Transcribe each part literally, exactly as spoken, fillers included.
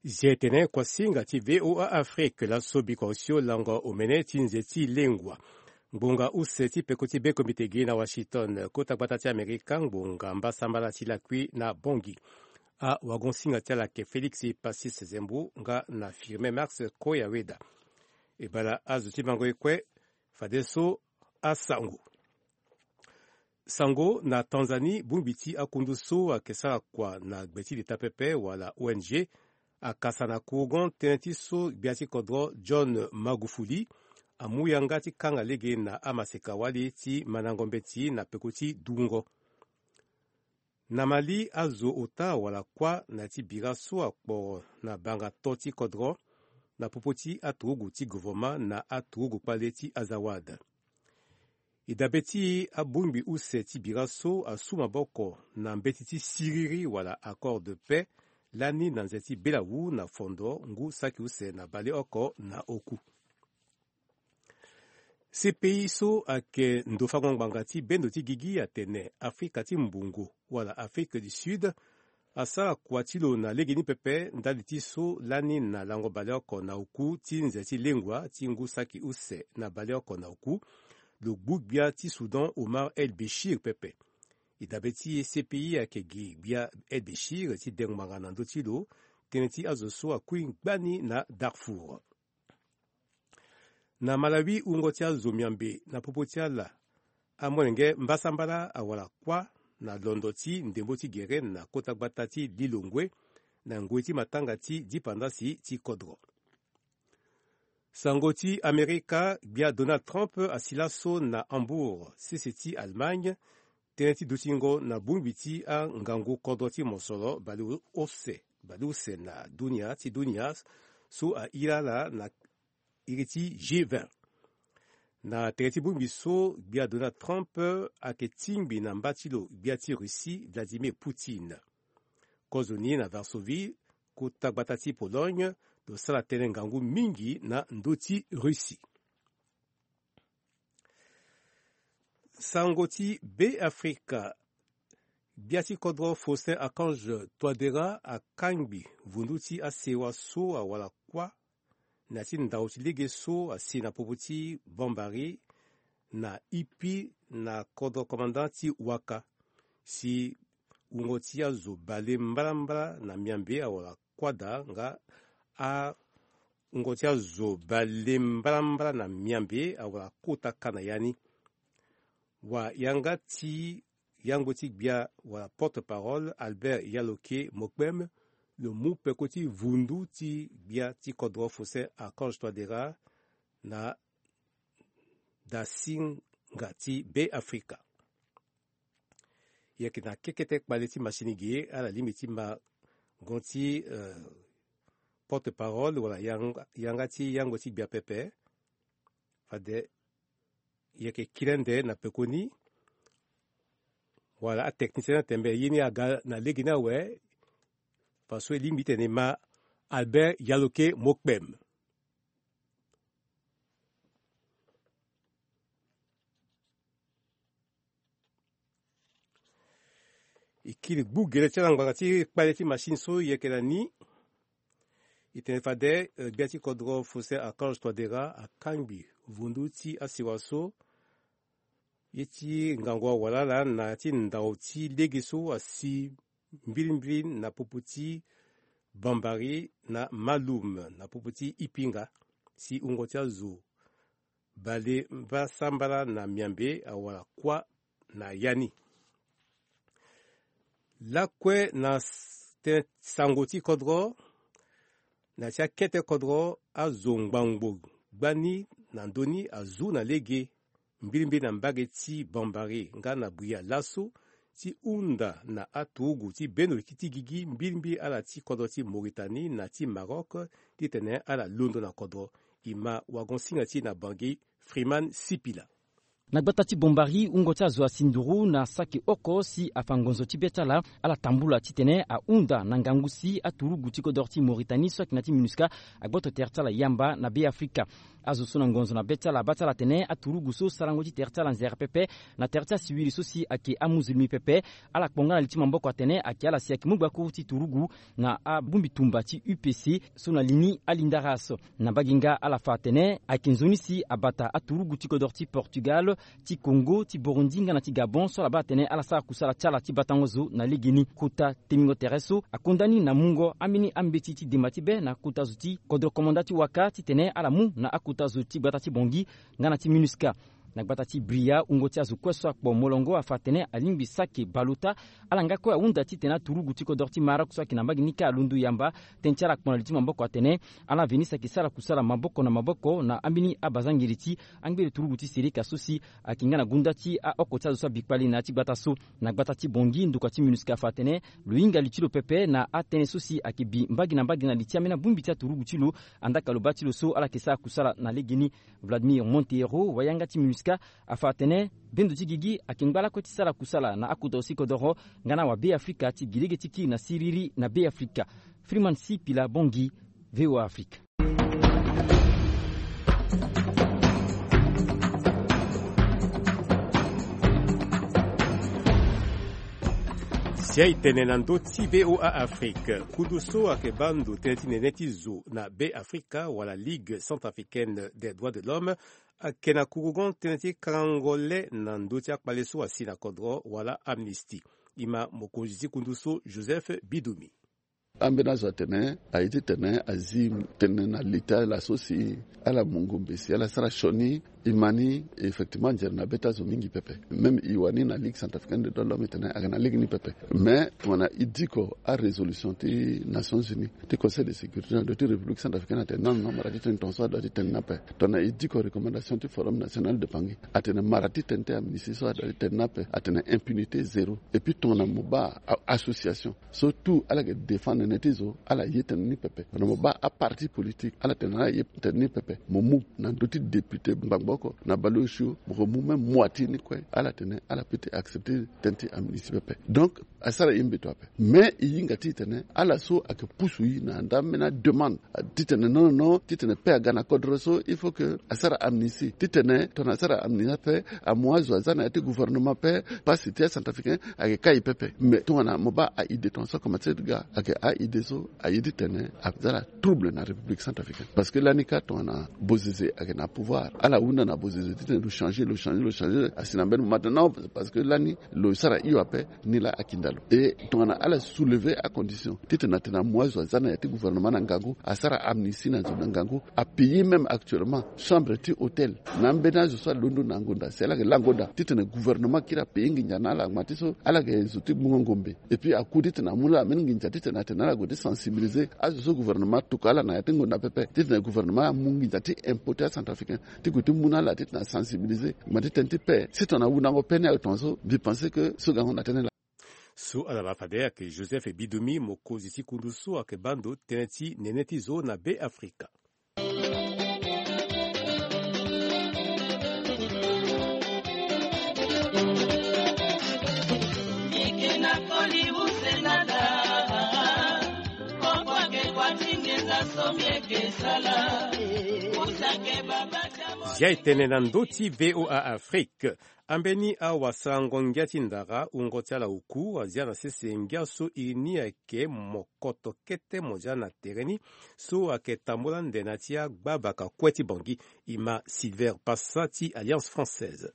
Zi etene kuasinga ti VOA Afrique laso biko osio lango omene ti nze ti lengua. Ngbonga use ti peko ti be komite gi na Washington, kota gbata ti Amerika, ngbonga mbasambala ti lakui na Bongi. Awagonsinga ti ala ke Félix Passis Zembu nga na Firmin Max Koyaweda. E bala azo ti mango ekue. Fadeso asango. Sango na Tanzanie, bongbi ti akundu so ayeke sara kua na gbe ti leta pepe wala O N G akasa na kourgon tënë ti so gbia ti kodro John Magufuli amu yanga ti kanga lege na amaseka wali ti mandango mbeti na peko ti dungo. Na Mali, azo ota wala kuâ na ya ti bira so akporo na banga to ti kodro na popo ti aturugu ti governement na aturugu kpale ti Azawad. E dabe ti e, abongbi use ti bira so asu maboko na mbeti ti siriri wala accord de paix lani na nze ti belawu na fondo ngu saki use na baleoko na oku. C P I so ayeke ndo fango ngbanga ti bendo ti gigi atene Afrika ti mbungu wala Afrique du Sud asara kua ti lo na legeni pepe ndali ti so lani na lango baleoko na oku ti nze ti lengua ti ngu saki use na baleoko na oku, lo gbu gbia ti Soudan Omar El Béchir pepe. E dabe ti e, C P I ayeke gi gbia El Béchir ti dengo ngbanga na ndö ti lo tënë ti azo so akui ngbani na Darfour. Na Malawi, wungo ti azo miambe na popo ti ala amolenge mbasambala awara kuâ na londo ti ndembo ti gere na kota gbata ti Lilongwe na ngoi ti matanga ti dipandasi ti kodro. Sango ti Amerika, gbia Donald Trump asi laso na Hambourg, sese ti Allemagne, tënë ti dutingo na bongbi ti angangu kodro ti mosoro baleuse, baleuse na dunia ti dunia so ahiri ala na iri ti G vingt. Na tere ti bongbi so, gbia Donald Trump ayeke tingbi na mba ti lo gbia ti Russie Vladimir Poutine. Kozoni na Varsovie, kota gbata ti Pologne, lo sara tënë ngangu mingi na ndö ti Russie. Sango ti Be Afrika, gbia ti kodro Faustin Archange Touadéra akangbi vundu ti asewa so awara kuâ na ya ti ndau ti lege so asi na popo ti Bambari na Ipi na kodro commandant ti Waka. Si wungo ti azo bale mbalambala na miambe awara kuâ daa nga awungo ti azo bale mbalambala na miambe awara kota ka na ya ni. Wa yanga ti yangbo ti gbia wala porte-parole Albert Yaloke Mokpem lo mu peko ti vundu ti gbia ti kodro Faustin Archange Touadéra na dasinga ti Be Afrika. Yeke na kekete kpale ti machine ge ala lingbi ti ma gon ti, eh, porte-parole wala yanga, yanga ti yangbo ti gbia pepe. Fade yeke kiri ande na pekoni wala atechnicien ni atembe ye ni aga na lege ni awe. Faso e lingbi tene e ma Albert Yaloke Mokpem. E kiri gbu gele ti ala ngbanga ti kpale ti machine so e yeke na ni. E tene fade, eh, gbia ti kodro Faustin Archange Touadéra akangbi vundu ti asewa so ye ti ngangu awalala na ya ti ndau ti lege so asi mbirimbiri na popo ti Bambari na Malum na popo ti Ipinga, si wungo ti azo bale mbasambala na miambe awara kuâ na ya ni. Lakue na s-, tënë sango ti kodro, na ya ti akete kodro azo ngbangbo gbani na ndö ni azu na lege mbirimbiri na mbage ti Bambari nga na Buea laso ti hunda na aturugu ti bendo ti gigi mbirimbiri ala ti kodro ti Mauritanie na ti Maroc titene ala londo na kodro. E ma wagon-singa ti e na Bangui, Freeman Sipila. Na gbata ti Bombari, wungo ti azo asi nduru na saki oko si afa ngonzo ti be ti ala. Ala tambula titene ahunda na ngangu si aturugu ti kodoro ti Mauritanie so ayeke na ya ti MINUSCA agboto tere ti ala yamba na Be Afrika. Azo so na ngonzo na be ti ala abaa ti ala atene aturugu so sarango ti tere ti ala nzere pepe na tere ti asiwiri so si ayeke amuzulmi pepe. Ala kpo nga na li ti maboko atene ayeke ala si ayeke mu gbakuru ti turugu na abongbi tumba ti U P C so na li ni alinda race. Na mbage nga ala fa atene ayeke nzoni si abata aturugu ti kodoro ti Portugal, ti Congo, ti Burundi nga na ti Gabon so ala baa atene ala sara kusala ti ala ti batango zo na legeni. Kota temingo tere so akonda ni na mungo ambeni ambeti ti demba ti be na kota zo ti kodro komanda ti waka titene ala mu na akota zo ti gbata ti Bangui nga na ti MINUSCA. Na gbata ti Bria, wungo ti azo kue so akpo molongo afa atene alingbi saki bale ota. Ala nga kue ahunda titene aturugu ti kodoro ti Maroc so ayeke na mbage ni kâ alondo yamba. Tënë ti ala akpo na li ti maboko atene ala veni si ayeke sara kusala maboko na maboko na ambeni abazangiri ti angbere turugu ti Seleka so si ayeke nga na gonda ti aoko ti azo so abi kpale na ya ti gbata so. Na gbata ti Bangui, ndokua ti MINUSCA afa atene lo hinga li ti lo pepe na atënë so si ayeke bi mbage na mbage na li ti ambeni abongbi ti aturugu ti lo. Andaa ka lo baa ti lo so ala yeke sara kusala na legeni. Vladimir Monteiro, wayanga ti MINUSCA, afa atene bendo ti gigi ayeke ngba lakue ti sara kusala na akota zo ti kodoro nga na wabe Afrika ti gi lege ti kiri na siriri na Be Afrika. Freeman Sipila Bangui, V O A Afrika. Sia e tene na ndö ti V O A Afrique, kundu so ayeke baa ndo tënë ti nene ti zo na Be Afrika wala Ligue Centrafricaine des Droits de l'Homme ayeke na kurugon tënë ti karango le na ndö ti akpale so asi na kodro wala amnistie. E ma mokonzi ti kundu so, Joseph Bidumi. Ambeni azo atene aye titene azi tene na li ti ala so si ala mu ngombe si ala sara sioni. E ma ni effectivement nzere na be ti azo mingi pepe. Même e wani na Ligue Centrafricaine des Droits de l'Homme e tene ayeke na lege ni pepe. Mais tongana e diko arésolution ti Nations Unies, ti Conseil de sécurité na ndö ti République Centrafricaine atene non, non, mara ti tene tongaso adoit ti tene ni ape. Tongana e diko recommandation ti Forum National de Bangui, atene mara ti tene ti amnistie so adoit ti tene ni ape, atene impunité zéro. Et puis tongana mo baa association so tout ala yeke défendre nene ti zo, ala ye tene ni pepe. Tongana mo baa aparti politique, ala tene ala ye tene ni pepe. Mo mu na ndö ti député ngbangbo oko na baleosio, mo ko mu même moitié ni kue, ala tene ala peut ti accepter tënë ti amnistie pepe. Donc asara ye mbeto ape. Mais e hinga titene ala so ayeke pusu e na nda ambeni ademande titene non, non, non, titene paix aga na kodro so, il faut que asara amnistie. Titene tongana asara amnistie ape, amu azo aza na ya ti gouvernement ape, pasi ti acentrafricain ayeke kai pepe. Mais tongana mo baa aide tongana so akomanse ti ga, ayeke aide so aye titene aza na trouble na République Centrafricaine. Parce que lani kâ tongana bozeze ayeke na pouvoir, ala hunda na bozeze titene lo changer, lo changer, lo changer, asi na mbeni moment. Non, parce que lani lo sara hio ape, ni laa akinda lo. Et tongana ala soulever acondition titene atene amu azo aza na ya ti gouvernement na ngangu, asara amnistie na zo na ngangu, apayer même actuellement chambre ti hôtel na ambeni azo so alondo na ngonda si ala yeke laa ngonda, titene gouvernement akiri apayer nginza na ala ngma ti so ala yeke zo ti gbungo ngombe. Et puis aku titene amu na ala ambeni nginza titene atene ala gue ti sensibiliser azo so gouvernement atokua ala na ya ti ngonda pepe, titene gouvernement amu nginza ti impôt ti acentrafricain ti gue ti mu na ala titene asensibiliser ngma ti tënë ti paix. Si tongana ahundango paix ni ayo tongaso, mbi pense que so gango na tënë laa. So ala ma fade ayeke Joseph Bidumi, mokonzi ti kundu so ayeke baa ndo tënë ti nene ti zo na Be Afrika. Zia e tene na ndö ti V O A Afrique. Ambeni awasarango ngia ti ndara, wungo ti ala oku, azia na sese ngia so iri ni ayeke mokoto kete mo zia na tere ni, so ayeke tambula nde na ti agbabaka kue ti Bangui. E ma Silver Passa ti Alliance Française.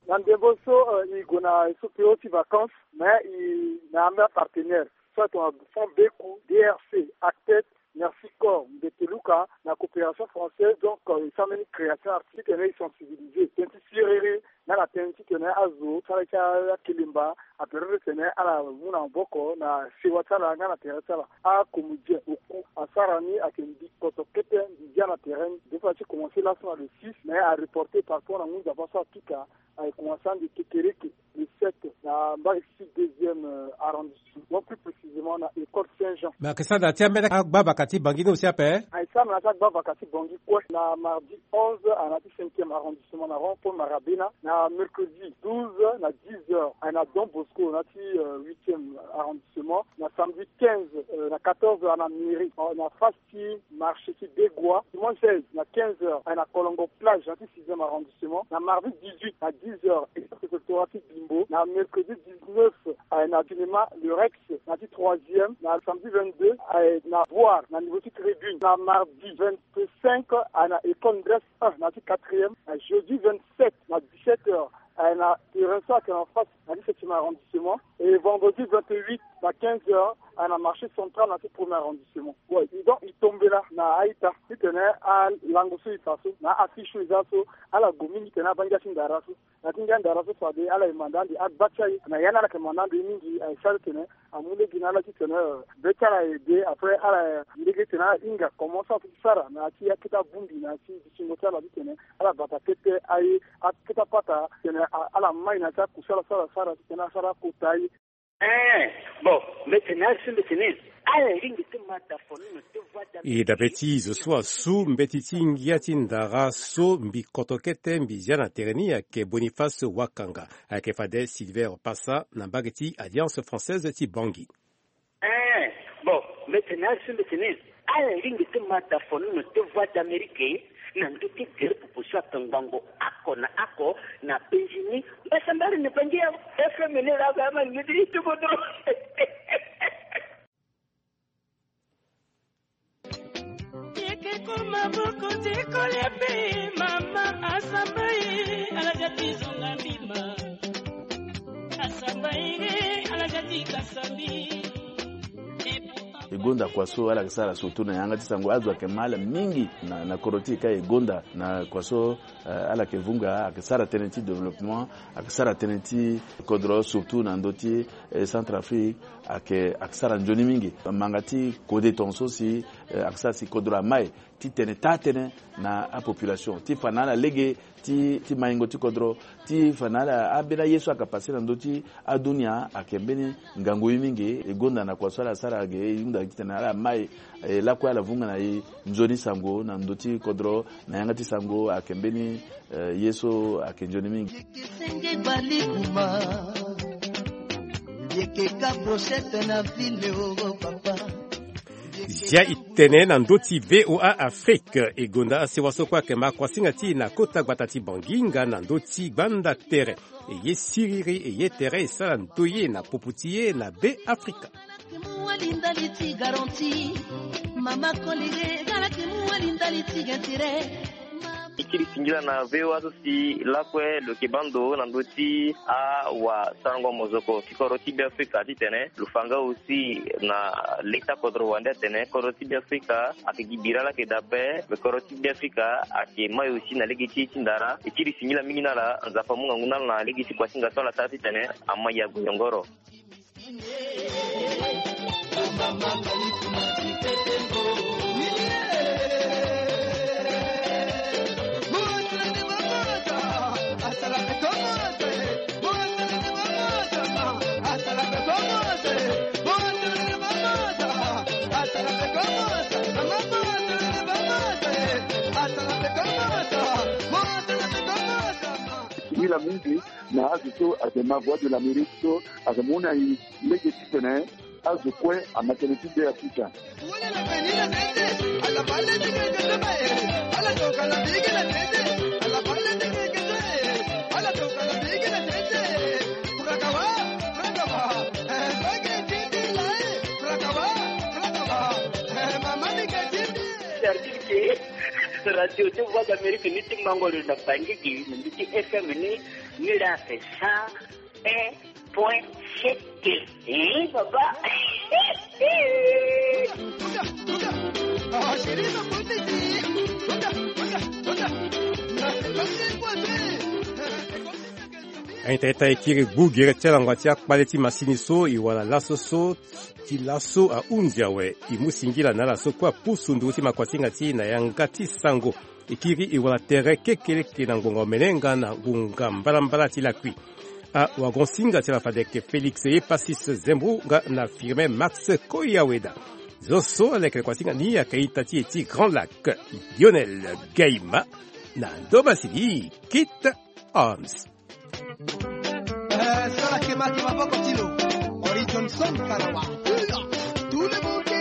Na ndembo so, eh, e gue na e so pio ti vacances, mais e na ambeni apartenaire so atongana Fonds Beku, D R C, Actet, Merci Corps, Mbeteluka, na coopération française, donc, euh, e sara mbeni création artistique, titene e sensibiliser tënë ti siriri Nga na tënë titene azo ti ala ti akelemba aperere tene ala mu na maboko na sewa ti ala nga na tere ti ala. Akomedien oku asara ni ayeke mbi koto kete mbi dia na tere ni. Depuis ti commencer laso na le six, mais areporte par rapport na ngu nzapa so apika. Aye commencer ande kekereke le sept na mbage ti deuxième arrondissement, plus précisément na école Saint-Jean. Mais ayeke sara na ya ti ambeni agba vaka ti Bangui ni aussi ape? Aye sara na ya ti agba vaka ti Bangui kue. Na mardi onze aye na ya ti cinquième arrondissement na rond point Marabena. Na mercredi douze na dix heures aye na Don Bosco na ya ti huitième arrondissement. Na samedi quinze na quatorze aye na mairie na face ti marché ti Degua. Dimanche seize na quinze heures aye na Kolongo plage na ya ti sixième arrondissement. Na mardi dix-huit na dix heures école préfectorat ti Bimbo. Na mercredi dix-neuf aye na cinéma Le Rex na ya ti troisième. Na samedi vingt-deux aye na Boire na niveau ti tribune. Na mardi vingt-cinq aye na école Ndres un na ya ti quatrième. Na jeudi vingt-sept na dix-sept heures aye na terrain so ayeke na face na ya ti septième arrondissement. Et vendredi vingt-huit na quinze heures aye na marché central na ya ti premier arrondissement. Ouais, e donc e tombela na a-ita titene alango so e fa so na a-affiche so e za so ala gue mingi titene abaa ngia ti ndara so. Na ya ti ngia ndara so fade ala ye manda ande agba ti aye na ya ni ala yeke manda ande ye mingi. Aye sara titene amu lege na ala titene be ti ala aye de. Après ala lege titene ala hinga comment so ato ti sara na ya ti akete abongbi na ya ti dutingo ti ala titene ala bata kete aye akete apata titene ala mai na ya ti akuse ala so ala sara titene asara akota aye. Ee, bon, mbi tene azo so mbi tene ala ringi ti ma da fo ni na ti voie d'Amérique. E dabe ti zo so asu mbeti ti ngia ti ndara so mbi koto kete mbi zia na tere ni ayeke Boniface Wakanga. Ayeke fade Silver Passa na mbage ti Alliance Française ti Bangui. Ee, bon, mbi tene azo so mbi tene ala ringi ti ma da fo ni na ti voie d'Amérique na ndö ti gere popo so ayeke ngbongo oko na oko na penzi ni. Mbasambari ni Bangui ya F M ni laa ama ni ti ti kodro. Yeke ko maboko ti kolia pe mama asamba ye ala za ti zonga mbima. Asamba ye ala za ti kasa mbi. E gonda kua so ala yeke sara surtout na yanga ti sango azo ayeke ma ala mingi na, na kodro ti e ka e gonda na kua so, eh, ala yeke vunga ayeke sara tënë ti développement, ayeke sara tënë ti kodro surtout na ndö ti, eh, Centrafrique, ayeke, ayeke sara nzoni mingi. Manga ti kode tongaso si, eh, ayeke sara si kodro amai titene taa tënë na apopulation ti fa na ala lege ti, ti maingo ti kodro, ti fa na ala ambeni aye so ayeke pase na ndö ti adunia ayeke mbeni ngangu ye mingi. E gonda na kua so ala sara ge e hunda titene ala mai, eh, lakue ala vunga na e nzoni sango na ndö ti kodro na yanga ti sango ayeke mbeni, eh, ye so ayeke nzoni mingi. Yeke senge bali kuma. Yeke ka brochette na ville o papa. Zia e tene na ndö ti V O A Afrique. E gonda asewa so kue ayeke ma kuasinga ti e na kota gbata ti Bangui nga na ndö ti gbanda tere. E ye siriri e ye tere e sara ndoye na popo ti e na Beafrika. Mama Kolire, Galaki Muwali ndali ti gentire. E kiri singila na V O A so si lakue lo yeke baa ndo na ndö ti awasarango mozoko ti kodro ti Beafrika titene lo fa nga aussi na leta kodro wande atene kodro ti Beafrika ayeke gi bira laa ayeke daa ape. Me kodro ti Beafrika ayeke mai aussi na lege ti e ti ndara. E kiri singila mingi na ala, Nzapa amu ngangu na ala na lege ti kuasinga so ala sara titene amai ague yongoro. Singila mingi na azo so ayeke ma Voix de l'Amérique so ayeke mu na e lege titene azo kue ama tënë ti Beafrika. Radio ti Voix d'Amérique ni ti mango lo na Bangui gi na ndö ti F M ni, ni laa ayeke cent un point sept. Hein, papa. Aita ita e kiri gbu gere ti alangua ti akpale ti masini so e wara laso so ti laso ahunzi awe. E mu singila na ala so kue apusu ndugu ti makuasinga ti e na yanga ti sango. E kiri e wara tere kekeleke na ngbonga omene nga na ngonga mbalambala ti lakui. Awagon-singa ti ala fade ayeke Félix Epasis Zembo nga na Firmin Max Koyaweda. Zo so aleke na kuasinga ni ayeke ita ti e ti Grand Lac, Lionel Gaima, na ndo masini Kit Arms. Eh, so la kema ke maboko ti lo. Ori Johnson Karawa. Tout le monde